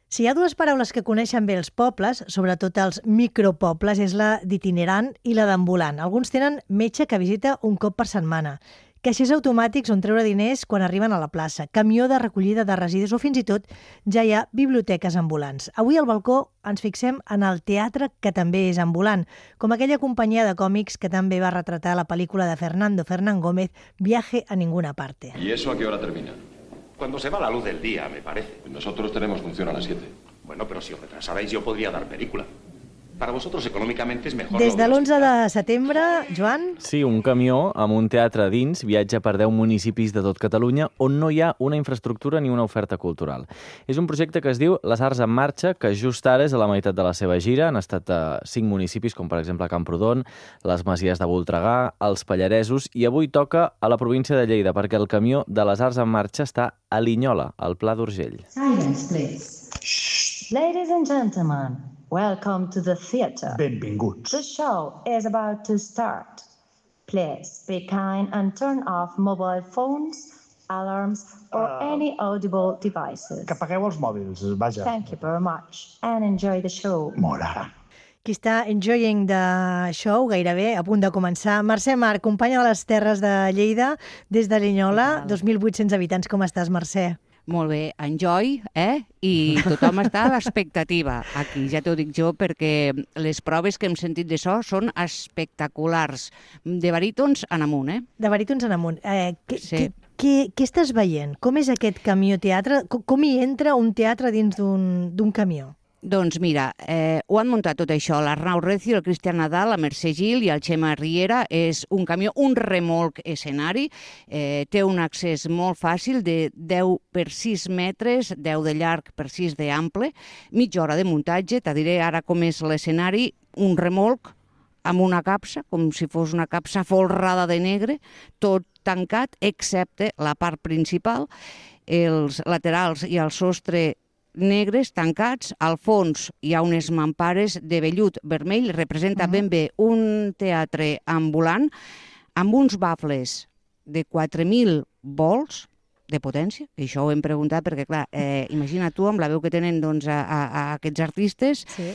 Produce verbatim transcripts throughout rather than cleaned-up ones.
Si hi ha dues paraules que coneixen bé els pobles, sobretot els micropobles, és la d'itinerant i la d'ambulant. Alguns tenen metge que visita un cop per setmana, caixers automàtics on treure diners quan arriben a la plaça, camió de recollida de residus o fins i tot ja hi ha biblioteques ambulants. Avui al balcó ens fixem en el teatre, que també és ambulant, com aquella companyia de còmics que també va retratar la pel·lícula de Fernando Fernán Gómez, Viaje a ninguna parte. ¿Y eso a qué hora termina? Cuando se va la luz del día, me parece. Nosotros tenemos función a las siete. Bueno, pero si os retrasarais yo podría dar película. Para vosotros econòmicament és mejor... Des de l'onze de setembre, Joan... Sí, un camió amb un teatre dins viatja per deu municipis de tot Catalunya on no hi ha una infraestructura ni una oferta cultural. És un projecte que es diu Les Arts en Marxa, que just ara és a la meitat de la seva gira. Han estat a cinc municipis, com per exemple Camprodon, les Masies de Voltregà, els Pallaresos, i avui toca a la província de Lleida, perquè el camió de Les Arts en Marxa està a Linyola, al Pla d'Urgell. Silence, please. Shh. Ladies and gentlemen, welcome to the theatre. Benvinguts. The show is about to start. Please be kind and turn off mobile phones, alarms, or uh, any audible devices. Que apagueu els mòbils, vaja. Thank you very much and enjoy the show. Mora. Qui està enjoying the show, gairebé a punt de començar. Mercè Marc, companya de les Terres de Lleida, des de Linyola, dos mil vuit-cents habitants. Com estàs, Mercè? Molt bé, enjoy, eh? I tothom està a l'expectativa aquí, ja t'ho dic jo, perquè les proves que hem sentit de so són espectaculars. De barítons en amunt, eh? De barítons en amunt. Eh, què, sí. què, què, què estàs veient? Com és aquest camió teatre? Com, com hi entra un teatre dins d'un camió? Doncs mira, eh, ho han muntat tot això, l'Arnau Recio, el Cristian Nadal, la Mercè Gil i el Xema Riera. És un camió, un remolc escenari, eh, té un accés molt fàcil de deu per sis metres, deu de llarg per sis d'ample, mitja hora de muntatge. Te diré ara com és l'escenari, un remolc amb una capsa, com si fos una capsa folrada de negre, tot tancat, excepte la part principal, els laterals i el sostre negres, tancats. Al fons hi ha unes mampares de vellut vermell, representa uh-huh. ben bé un teatre ambulant amb uns bafles de quatre mil volts de potència, que això ho hem preguntat perquè, clar, eh, imagina tu amb la veu que tenen doncs, a, a, a aquests artistes, sí.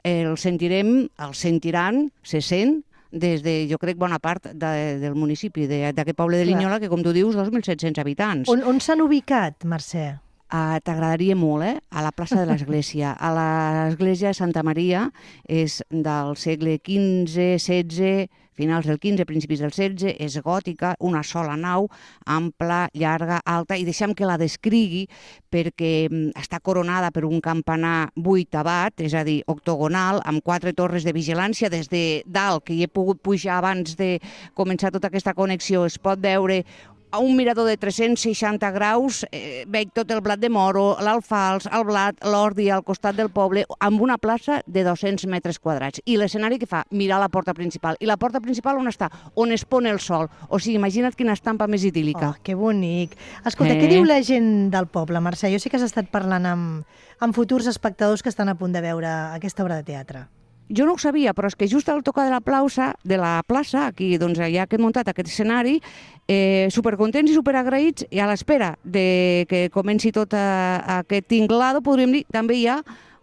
el sentirem, el sentiran, se sent, des de, jo crec, bona part de, del municipi, d'aquest poble de Linyola, que, com tu dius, dos mil set-cents habitants. On, on s'han ubicat, Mercè? Uh, T'agradaria molt, eh? A la plaça de l'Església. A l'Església de Santa Maria és del segle quinze, setze, finals del quinze, principis del setze, és gòtica, una sola nau, ampla, llarga, alta, i deixem que la descrigui perquè està coronada per un campanar vuitavat, és a dir, octogonal, amb quatre torres de vigilància. Des de dalt, que hi he pogut pujar abans de començar tota aquesta connexió, es pot veure a un mirador de tres-cents seixanta graus, eh, veig tot el blat de moro, l'alfals, el blat, l'ordi al costat del poble, amb una plaça de dos-cents metres quadrats. I l'escenari que fa? Mirar la porta principal. I la porta principal on està? On es pon el sol. O sigui, imagina't quina estampa més idíl·lica. Oh, que bonic. Escolta, eh? Què diu la gent del poble, Mercè? Jo sé que has estat parlant amb, amb futurs espectadors que estan a punt de veure aquesta obra de teatre. Jo no ho sabia, però és que just al tocar de la plaça, de la plaça, aquí doncs, ja que he muntat aquest escenari, eh, supercontents i superagraïts, i a l'espera de que comenci tot a, a aquest tinglado, podríem dir, també hi ha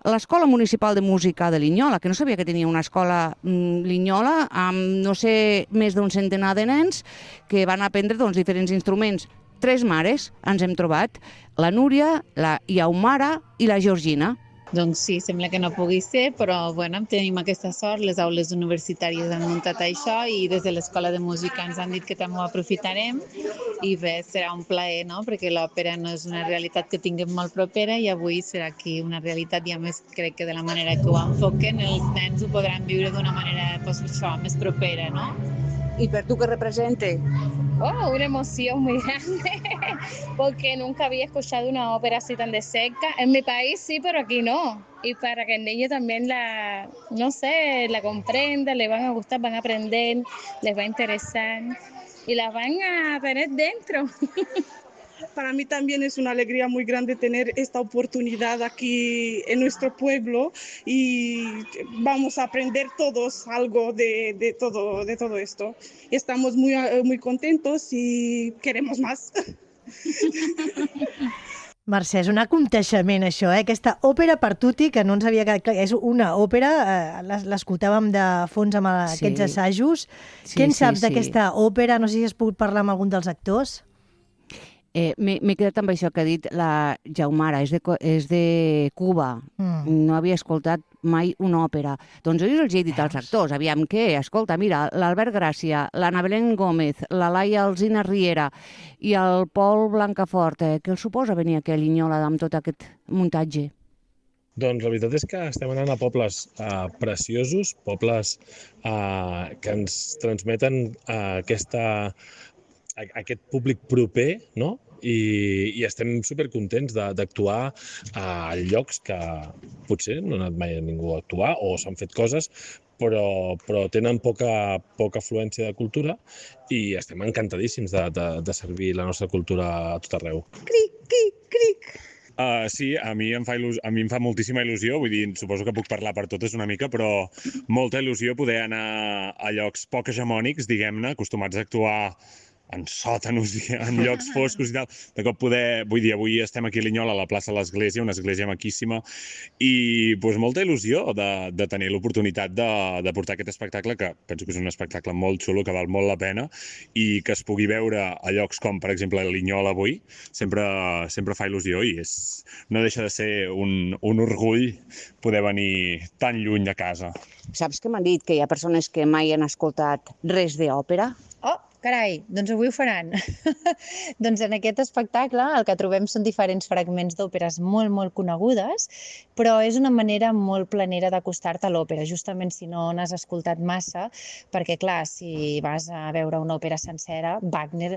l'Escola Municipal de Música de Linyola, que no sabia que tenia una escola mm, Linyola, amb, no sé, més d'un centenar de nens que van aprendre doncs, diferents instruments. Tres mares ens hem trobat, la Núria, la Iaumara i la Georgina. Doncs sí, sembla que no pugui ser, però bueno, tenim aquesta sort, les aules universitàries han muntat això i des de l'Escola de Música ens han dit que també ho aprofitarem i bé, serà un plaer, no? Perquè l'òpera no és una realitat que tinguem molt propera i avui serà aquí una realitat i a més crec que de la manera que ho enfoquen els nens ho podran viure d'una manera pues, això, més propera, no? ¿Y per tu qué represente? Oh, una emoción muy grande, porque nunca había escuchado una ópera así tan de cerca. En mi país sí, pero aquí no. Y para que el niño también la, no sé, la comprenda, le van a gustar, van a aprender, les va a interesar y las van a tener dentro. Para mí también es una alegría muy grande tener esta oportunidad aquí en nuestro pueblo y vamos a aprender todos algo de, de, todo, de todo esto. Estamos muy, muy contentos y queremos más. Mercè, és un aconteixement això, eh? Aquesta òpera per tutti, que no ens havia quedat clar, és una òpera, eh, l'es- l'escoltàvem de fons amb eh, Sí. aquests assajos. Sí, Què en sí, saps sí. d'aquesta òpera? No sé si has pogut parlar amb algun dels actors. Eh, M'he m'he quedat amb això que ha dit la Jaumara, és de, Co- és de Cuba. Mm. No havia escoltat mai una òpera. Doncs jo els he dit als actors, aviam què, escolta, mira, l'Albert Gràcia, l'Anna Belén Gómez, la Laia Alsina Riera i el Pol Blancafort, eh, què els suposa venir aquí a Linyola amb tot aquest muntatge? Doncs la veritat és que estem anant a pobles uh, preciosos, pobles uh, que ens transmeten uh, aquesta, a, aquest públic proper, no? I, i estem supercontents de- d'actuar a llocs que potser no ha anat mai a ningú a actuar o s'han fet coses, però, però tenen poca, poca afluència de cultura i estem encantadíssims de, de, de servir la nostra cultura a tot arreu. Cric, cric, cric. Uh, sí, a mi, em fa il·lus... a mi em fa moltíssima il·lusió, vull dir, suposo que puc parlar per totes una mica, però molta il·lusió poder anar a llocs poc hegemònics, diguem-ne, acostumats a actuar en sòtanos i en llocs foscos i tal. De cop poder, vull dir, avui estem aquí a Linyola, a la plaça de l'Església, una església maquíssima, i doncs, molta il·lusió de, de tenir l'oportunitat de, de portar aquest espectacle, que penso que és un espectacle molt xulo, que val molt la pena, i que es pugui veure a llocs com, per exemple, Linyola avui, sempre, sempre fa il·lusió i és, no deixa de ser un, un orgull poder venir tan lluny de casa. Saps que m'han dit que hi ha persones que mai han escoltat res d'òpera? Oh, carai, doncs avui ho faran. Doncs en aquest espectacle el que trobem són diferents fragments d'òperes molt, molt conegudes, però és una manera molt planera d'acostar-te a l'òpera, justament si no n'has escoltat massa, perquè clar, si vas a veure una òpera sencera, Wagner,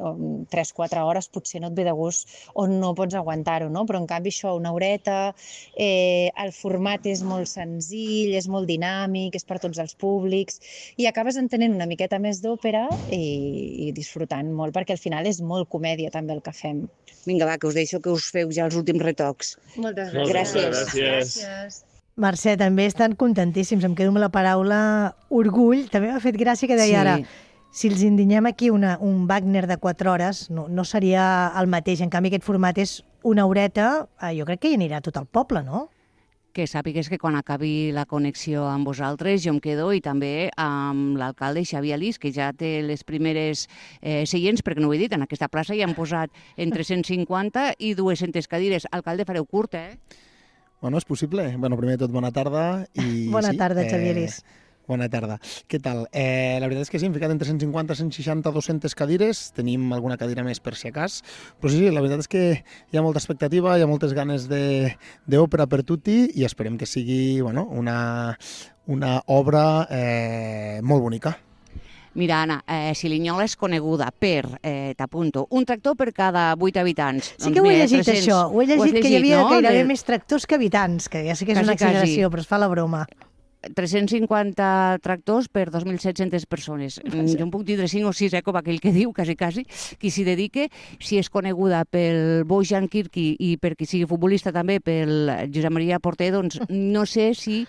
tres quatre hores potser no et ve de gust o no pots aguantar-ho, no? Però en canvi això, una horeta, eh, el format és molt senzill, és molt dinàmic, és per tots els públics, i acabes entenent una miqueta més d'òpera i i disfrutant molt, perquè al final és molt comèdia també el que fem. Vinga, va, que us deixo que us feu ja els últims retocs. Moltes gràcies. Gràcies. Gràcies. Mercè, també estan contentíssims. Em quedo amb la paraula orgull. També m'ha fet gràcia que deia Sí. ara, si els indinyem aquí una, un Wagner de quatre hores, no, no seria el mateix. En canvi, aquest format és una horeta, eh, jo crec que hi anirà tot el poble, no? Que sàpigues que quan acabi la connexió amb vosaltres jo em quedo i també amb l'alcalde Xavier Alís, que ja té les primeres eh, seients, perquè no ho he dit, en aquesta plaça hi han posat entre cent cinquanta i dues-centes cadires. Alcalde, fareu curt, eh? Bueno, és possible. Bueno, primer de tot, bona tarda. I, Bona sí, tarda, Xavier Alís. Bona tarda. Què tal? Eh, la veritat és que sí, hem ficat entre cent cinquanta, cent seixanta, dues-centes cadires. Tenim alguna cadira més per si acas. Però sí, sí, la veritat és que hi ha molta expectativa, hi ha moltes ganes d'òpera per tutti i esperem que sigui bueno, una, una obra eh, molt bonica. Mira, Anna, eh, si Linyola és coneguda per, eh, t'apunto, un tractor per cada vuit habitants. Sí que ho he llegit, això. Ho he llegit, que hi havia no? gairebé De- més tractors que habitants, que ja sé que és Quasi, una exageració, quasi. però es fa la broma. tres-cents cinquanta tractors per dos mil set-centes persones. Mm, Jo en puc dir cinc o sis, eh, com aquell que diu, quasi, quasi, qui s'hi dedique. Si és coneguda pel Bojan Kirki i per qui sigui futbolista també, pel Josep Maria Porter, doncs no sé si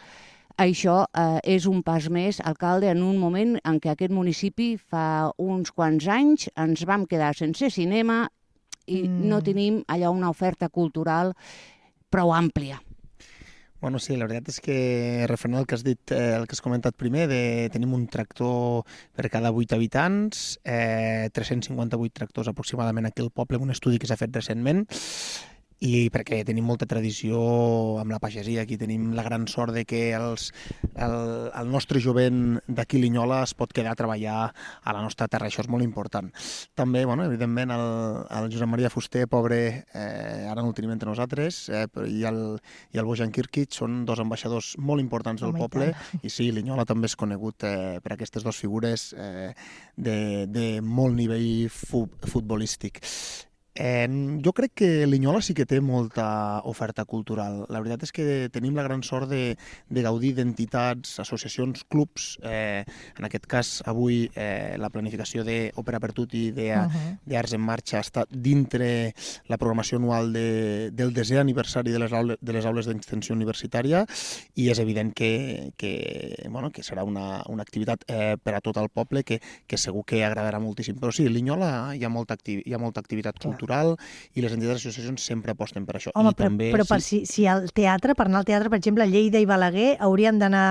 això eh, és un pas més, alcalde, en un moment en què aquest municipi fa uns quants anys ens vam quedar sense cinema i mm. no tenim allà una oferta cultural prou àmplia. Bueno, sí, la veritat és que referent al que has dit, eh, el que has comentat primer, de tenim un tractor per cada vuit habitants, eh, tres-cents cinquanta-vuit tractors aproximadament aquí al poble, un estudi que s'ha fet recentment, i perquè tenim molta tradició amb la pagesia, aquí tenim la gran sort de que els, el, el nostre jovent d'aquí Linyola es pot quedar a treballar a la nostra terra, això és molt important. També, bueno, evidentment, el, el Josep Maria Fuster, pobre, eh, ara no el tenim entre nosaltres, eh, i, el, i el Bojan Kirkic són dos ambaixadors molt importants del Home, i poble, tant. i sí, Linyola també és conegut eh, per aquestes dues figures eh, de, de molt nivell fu futbolístic. Eh, jo crec que Linyola sí que té molta oferta cultural. La veritat és que tenim la gran sort de, de gaudir d'entitats, associacions, clubs. Eh, en aquest cas, avui, eh, la planificació d'Òpera per Tutti Uh-huh. d'Arts en Marxa està dintre la programació anual de, del desè aniversari de les aules, de les aules d'extensió universitària i és evident que, que, bueno, que serà una, una activitat eh, per a tot el poble que, que segur que agradarà moltíssim. Però sí, a Linyola hi ha molta, acti hi ha molta activitat cultural. cultural i les entitats i associacions sempre aposten per això. Home, I però, també, però per si, si al teatre, per anar al teatre, per exemple, Lleida i Balaguer, haurien d'anar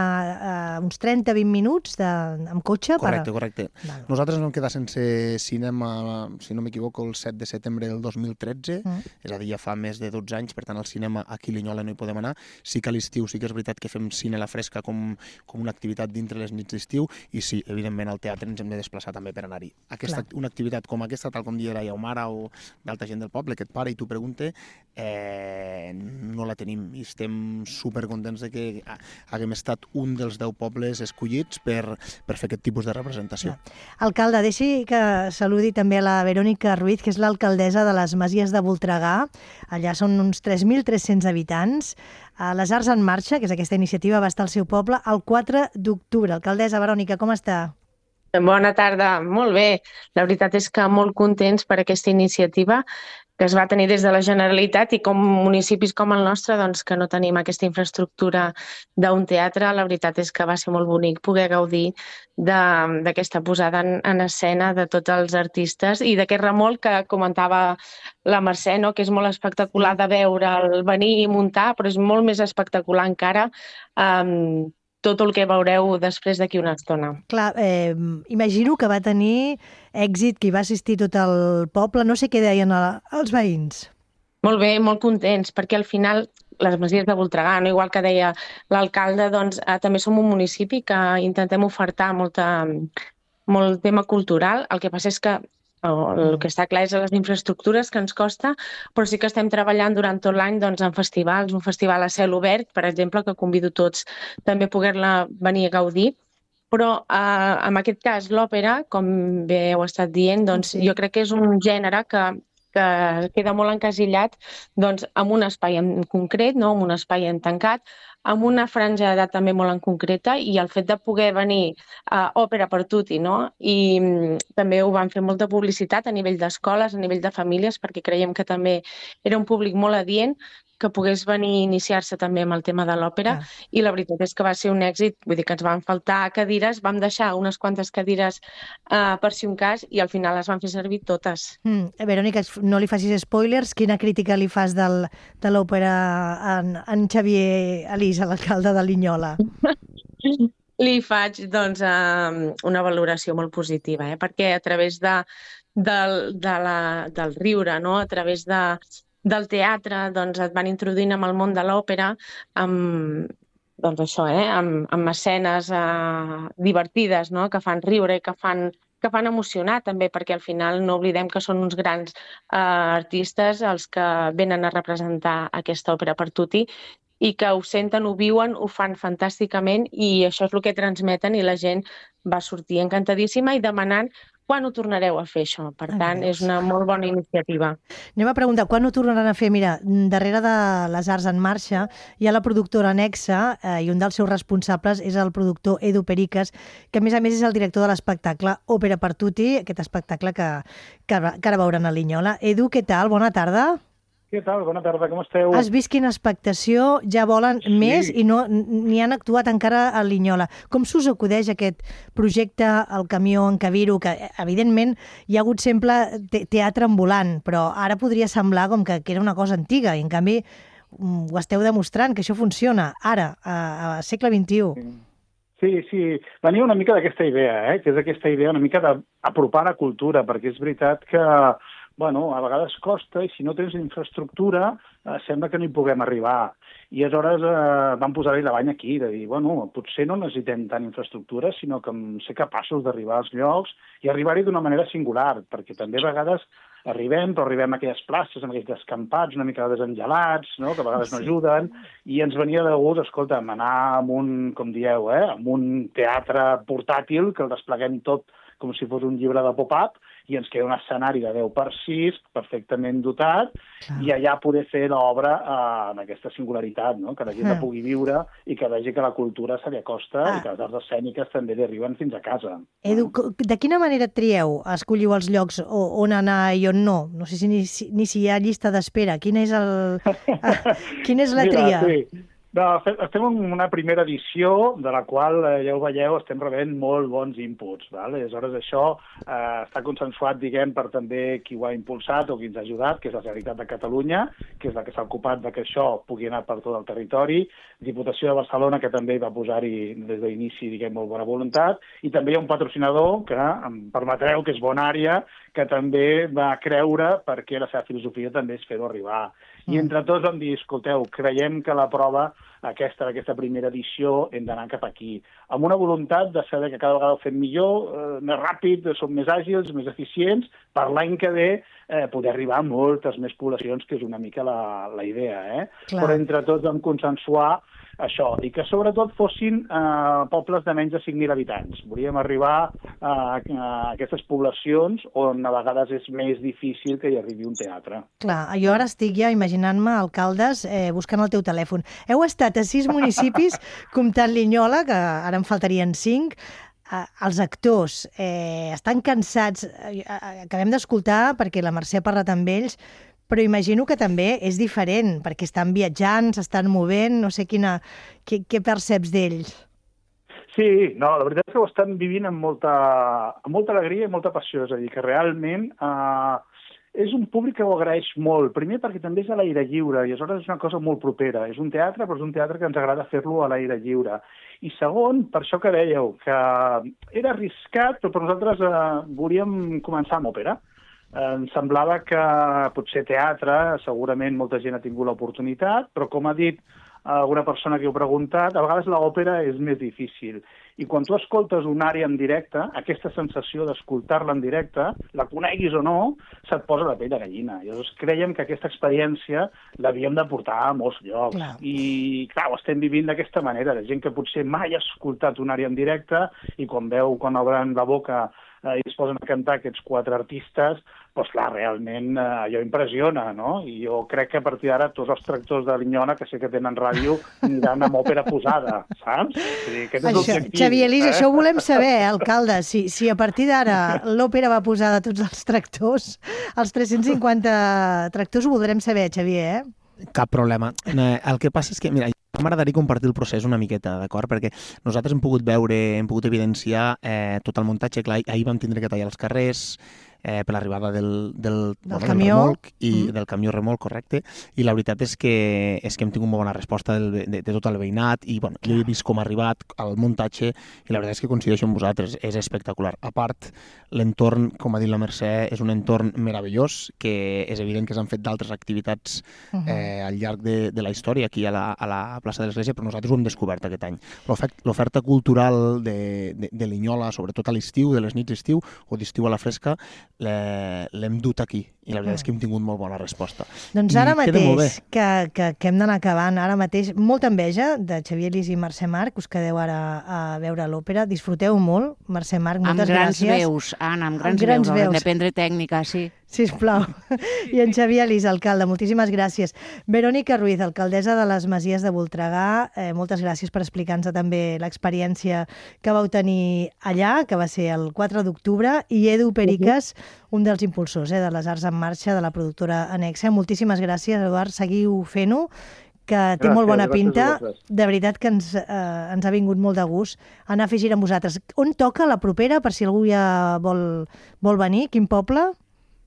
uh, uns trenta a vint minuts de, amb cotxe? Correcte, per... correcte. Val. Nosaltres ens vam quedar sense cinema, si no m'equivoco, el set de setembre del dos mil tretze, mm. és a dir, ja fa més de dotze anys, per tant, al cinema aquí a Linyola no hi podem anar. Sí que a l'estiu sí que és veritat que fem cine a la fresca com, com una activitat dintre les nits d'estiu, i sí, evidentment, al teatre ens hem de desplaçar també per anar-hi. Aquesta, una activitat com aquesta, tal com dia la Yaumara o d'altra gent del poble, que et para i t'ho pregunta, eh, no la tenim i estem supercontents de que haguem estat un dels deu pobles escollits per, per fer aquest tipus de representació. Alcalde, deixi que saludi també a la Verònica Ruiz, que és l'alcaldessa de les Masies de Voltregà. Allà són uns tres mil tres-cents habitants. Les Arts en Marxa, que és aquesta iniciativa, va estar al seu poble el quatre d'octubre. Alcaldessa Verònica, com està? Bona tarda, molt bé. La veritat és que molt contents per aquesta iniciativa que es va tenir des de la Generalitat i com municipis com el nostre, doncs, que no tenim aquesta infraestructura d'un teatre, la veritat és que va ser molt bonic poder gaudir d'aquesta posada en, en escena de tots els artistes i d'aquest remolc que comentava la Mercè, no? Que és molt espectacular de veure'l venir i muntar, però és molt més espectacular encara um, tot el que veureu després d'aquí una estona. Clar, eh, imagino que va tenir èxit, que hi va assistir tot el poble. No sé què deien els veïns. Molt bé, molt contents, perquè al final les Masies de Voltregà, no? Igual que deia l'alcalde, doncs, eh, també som un municipi que intentem ofertar molta, molt tema cultural. El que passa és que el que està clar és les infraestructures que ens costa, però sí que estem treballant durant tot l'any doncs, en festivals, un festival a cel obert, per exemple, que convido tots també a poder-la venir a gaudir. Però eh, en aquest cas l'òpera, com bé heu estat dient, doncs, sí. Jo crec que és un gènere que, que queda molt encasillat doncs, en un espai en concret, no? En un espai en tancat, amb una franja d'edat també molt en concreta, i el fet de poder venir a Òpera per Tutti, no? I mm, també ho van fer molta publicitat a nivell d'escoles, a nivell de famílies, perquè creiem que també era un públic molt adient, que pogués venir a iniciar-se també amb el tema de l'òpera, ah. I la veritat és que va ser un èxit, vull dir que ens van faltar cadires, vam deixar unes quantes cadires uh, per si un cas, i al final les van fer servir totes. Mm, Verònica, no li facis spoilers, quina crítica li fas del, de l'òpera en, en Xavier Alís, l'alcalde de Linyola? Li faig doncs, uh, una valoració molt positiva, eh? Perquè a través de, del, de la, del riure, no? A través de del teatre, doncs et van introduint amb el món de l'òpera, amb, doncs això, eh, amb, amb escenes eh, divertides, no? Que fan riure, que fan, que fan emocionar també, perquè al final no oblidem que són uns grans eh, artistes els que venen a representar aquesta òpera per Tutti i que ho senten, ho viuen, ho fan fantàsticament, i això és el que transmeten, i la gent va sortir encantadíssima i demanant quan ho tornareu a fer, això. Per tant, és una molt bona iniciativa. Anem a preguntar, quan ho tornaran a fer? Mira, darrere de les Arts en Marxa hi ha la productora Nexa, eh, i un dels seus responsables és el productor Edu Periques, que a més a més és el director de l'espectacle Òpera per Tutti, aquest espectacle que, que, que ara veuran a Linyola. Edu, què tal? Bona tarda. Què tal? Bona tarda, com esteu? Has vist quina expectació? Ja volen sí. més i no n'hi han actuat encara a Linyola. Com s'us acudeix aquest projecte, el camió en Cabiro, que evidentment hi ha hagut sempre te teatre ambulant, però ara podria semblar com que, que era una cosa antiga, i en canvi ho esteu demostrant, que això funciona ara, a, a segle vint-i-u. Sí, sí, venia una mica d'aquesta idea, eh? Que és aquesta idea una mica d'apropar la cultura, perquè és veritat que bueno, a vegades costa, i si no tens infraestructura eh, sembla que no hi puguem arribar. I aleshores eh, vam posar-hi la banya aquí, de dir, bueno, potser no necessitem tant infraestructura, sinó que ser capaços d'arribar als llocs i arribar-hi d'una manera singular, perquè també a vegades arribem, però arribem a aquelles places, amb aquells descampats, una mica desengelats, no? Que a vegades no ajuden, i ens venia de gust, escolta'm, anar amb un, com dieu, eh, amb un teatre portàtil, que el despleguem tot com si fos un llibre de pop-up, i ens queda un escenari de deu per sis, perfectament dotat, clar. I allà poder fer l'obra eh, en aquesta singularitat, no? Que la gent la pugui viure i que vegi que la cultura se li acosta ah. i que les arts escèniques també li arriben fins a casa. Edu, de quina manera trieu? Escolliu els llocs on anar i on no? No sé si ni, ni si hi ha llista d'espera. Quina és, el... quina és la tria? Mira, sí. No, estem en una primera edició de la qual, ja ho veieu, estem rebent molt bons inputs. Val? Aleshores, això eh, està consensuat, diguem, per també qui ho ha impulsat o qui ens ha ajudat, que és la Generalitat de Catalunya, que és la que s'ha ocupat de que això pugui anar per tot el territori, Diputació de Barcelona, que també va posar-hi des d'inici, diguem, molt bona voluntat, i també hi ha un patrocinador que, em permetreu, que és Bonària, que també va creure perquè la seva filosofia també és fer-ho arribar. I entre tots vam dir, escolteu, creiem que la prova aquesta d'aquesta primera edició hem d'anar cap aquí, amb una voluntat de saber que cada vegada ho fem millor, eh, més ràpid, som més àgils, més eficients, per l'any que ve eh, poder arribar a moltes més poblacions, que és una mica la, la idea. Eh? Però entre tots vam consensuar això, i que sobretot fossin eh, pobles de menys de cinc mil habitants. Volíem arribar a, a aquestes poblacions on a vegades és més difícil que hi arribi un teatre. Clar, jo ara estic ja imaginant-me, alcaldes, eh, buscant el teu telèfon. Heu estat a sis municipis, comptant Linyola, que ara en faltarien cinc. Eh, els actors eh, estan cansats, eh, acabem d'escoltar, perquè la Mercè ha parlat amb ells, però imagino que també és diferent, perquè estan viatjant, s'estan movent, no sé quina, què, què perceps d'ells? Sí, no, la veritat és que ho estan vivint amb molta, amb molta alegria i molta passió, és a dir, que realment eh, és un públic que ho agraeix molt, primer perquè també és a l'aire lliure, i aleshores és una cosa molt propera, és un teatre, però és un teatre que ens agrada fer-lo a l'aire lliure. I segon, per això que dèieu, que era arriscat, però per nosaltres eh, volíem començar amb òpera. Em semblava que potser teatre, segurament molta gent ha tingut l'oportunitat, però com ha dit alguna persona que ho ha preguntat, a vegades l'òpera és més difícil. I quan tu escoltes una àrea en directe, aquesta sensació d'escoltar-la en directe, la coneguis o no, se't posa la pell de gallina. I llavors creiem que aquesta experiència l'havíem de portar a molts llocs. Clar. I clar, ho estem vivint d'aquesta manera. La gent que potser mai ha escoltat una àrea en directe i quan veu, quan obren la boca i es posen a cantar aquests quatre artistes, doncs clar, realment eh, allò impressiona, no? I jo crec que a partir d'ara tots els tractors de Linyola, que sé que tenen ràdio, aniran amb òpera posada, saps? O sigui, aquest és l'objectiu. Xavier Elís, eh? Això ho volem saber, alcalde, si, si a partir d'ara l'òpera va posada a tots els tractors, els tres-cents cinquanta tractors ho voldrem saber, Xavier, eh? Cap problema. El que passa és que, mira, m'agradaria compartir el procés una miqueta, d'acord? Perquè nosaltres hem pogut veure, hem pogut evidenciar eh, tot el muntatge. Clar, ahir vam tindre que tallar els carrers eh, per l'arribada del, del, del, bueno, camió. del remolc, i mm. del camió remolc, correcte, i la veritat és que, és que hem tingut molt bona resposta del, de, de tot el veïnat, i bueno, jo he vist com ha arribat el muntatge, i la veritat és que coincideixo amb vosaltres, és espectacular. A part, l'entorn, com ha dit la Mercè, és un entorn meravellós, que és evident que s'han fet d'altres activitats uh -huh. eh, al llarg de, de la història aquí a la, a la plaça de l'Església, però nosaltres ho hem descobert aquest any. L'oferta cultural de, de, de Linyola, sobretot a l'estiu, de les nits d'estiu, o d'estiu a la fresca, l'hem dut aquí, i la veritat és que hem tingut molt bona resposta. Doncs ara I mateix, que, que, que hem d'anar acabant, ara mateix, molta enveja de Xavier Elís i Mercè Marc, us quedeu ara a veure l'òpera, disfruteu molt, Mercè Marc, moltes gràcies. Amb grans veus, Anna, amb grans, amb grans veus, veus. Hem de prendre tècnica, sí. Sisplau. I en Xavier Elís, alcalde, moltíssimes gràcies. Verònica Ruiz, alcaldessa de les Masies de Voltregà, eh, moltes gràcies per explicar-nos també l'experiència que vau tenir allà, que va ser el quatre d'octubre, i Edu Periques, un dels impulsors eh, de les Arts en Marxa, de la productora Anexa. Moltíssimes gràcies, Eduard, seguiu fent-ho, que té gràcies, molt bona pinta. De veritat que ens, eh, ens ha vingut molt de gust anar a fer gira amb vosaltres. On toca la propera, per si algú ja vol, vol venir? Quin poble?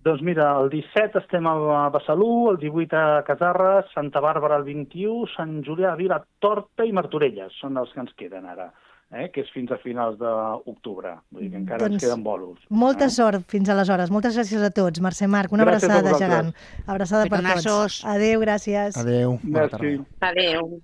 Doncs mira, el disset estem a Besalú, el divuit a Casarres, Santa Bàrbara el vint-i-u, Sant Julià, Vilatorta i Martorelles són els que ens queden ara, eh? Que és fins a finals d'octubre. Vull dir que encara doncs ens queden bolos. Molta eh? sort fins aleshores. Moltes gràcies a tots. Mercè Marc, una gràcies abraçada gegant. Abraçada per tots. Adéu, gràcies. Adéu. Merci. Adéu.